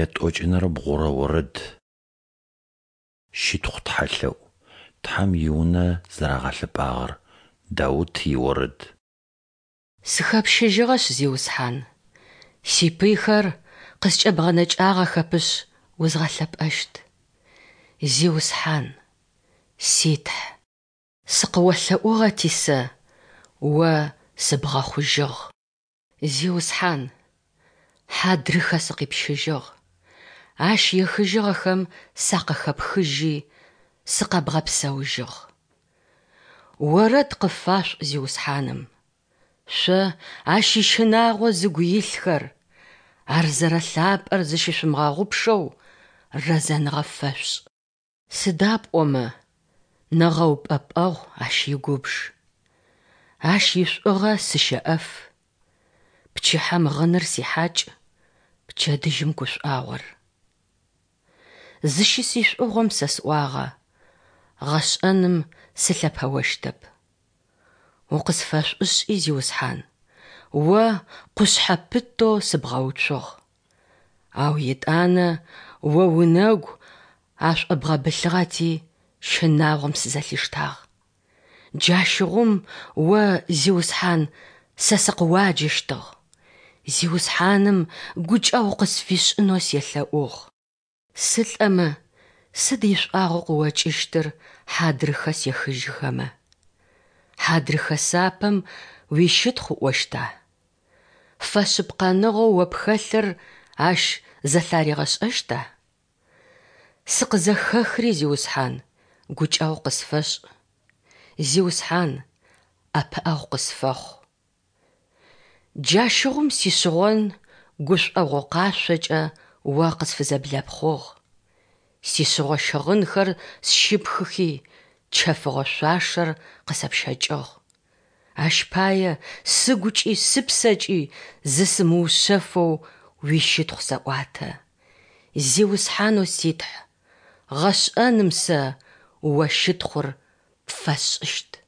Ятӏокӏынэрэ бгъурэ орэд. Щытхъу тхьэлъэӏу. Тхьэм и Унэ зэрагъэлъэпӏагъэр. Даут иорэд. Сыхэпщыжьыгъэшъ, Зиусхьан, сипыйхэр къыскӏэбгъэнэкӏагъэхэпышъ узгъэлъэпӏэщт. Зиусхьан, си Тхь, сыкъыолъэӏугъэти сэ, О сыбгъэхъужьыгъ. Зиусхьан, хьадрыхэ сыкъипщыжьыгъ, ащ ехыжьыгъэхэм сакъыхэпхыжьи, сыкъэбгъэпсэужьыгъ. Орэд къыфашъуӏу Зиусхьаным, шъо Ащ ищынагъо зыгу илъхэр, Ар зэрэлъапӏэр зыщышъумыгъэгъупшэу рэзэныгъэ фэшъушӏ. Сыда пӏомэ нэгъэупӏэпӏэгъу Ащ игубж. Ащ ишӏугъэ сыщэӏэф. Пчыхьэм гъыныр сихьакӏ, пчэдыжьым гушӏуагъор. Зыщысишӏугъом сэ сӏуагъэ, Гъэшӏэным сылъэпэощтэп. Укъысфэшӏушӏи, Зиусхьан, О къушъхьэ пытэу сыбгъэуцугъ. Ау етӏанэ О унэгу ашӏобгъэбылъыгъэти, щынагъом сызэлъиштагъ. Джащыгъум О, Зиусхьан, сэ сыкъыуаджэщтыгъ, Зиусхьаным гукӏэгъу къысфишӏынэу селъэӏугъ. Сылӏэмэ, сыд ишӏуагъэу къыокӏыщтыр хьадрыхэ сехыжьыхэмэ? Хьадрыхэ сапэм уищытхъу ыӏощта? Фэшъыпкъэныгъэу о пхэлъыр ащ зэлъаригъэшӏэщта? Сыкъызэхэхри, Зиусхьан, гукӏэгъу къысфэшӏ. Зиусхьан, ӏэпыӏэгъу къысфэхъу. Джащыгъум сишъыгъон гушӏогъо къашъокӏэ О къысфызэблэпхъугъ. Сишъыгъо щыгъынхэр сщыпхыхи, чэфыгъо шъуашэр къысэпщэкӏыгъ. Ащ пае сыгукӏи сыпсэкӏи зысымыушъэфэу уищытхъу сэӏуатэ. Зиусхьанэу си Тхь, гъэшӏэным сэ О щытхъур пфэсшӏыщт.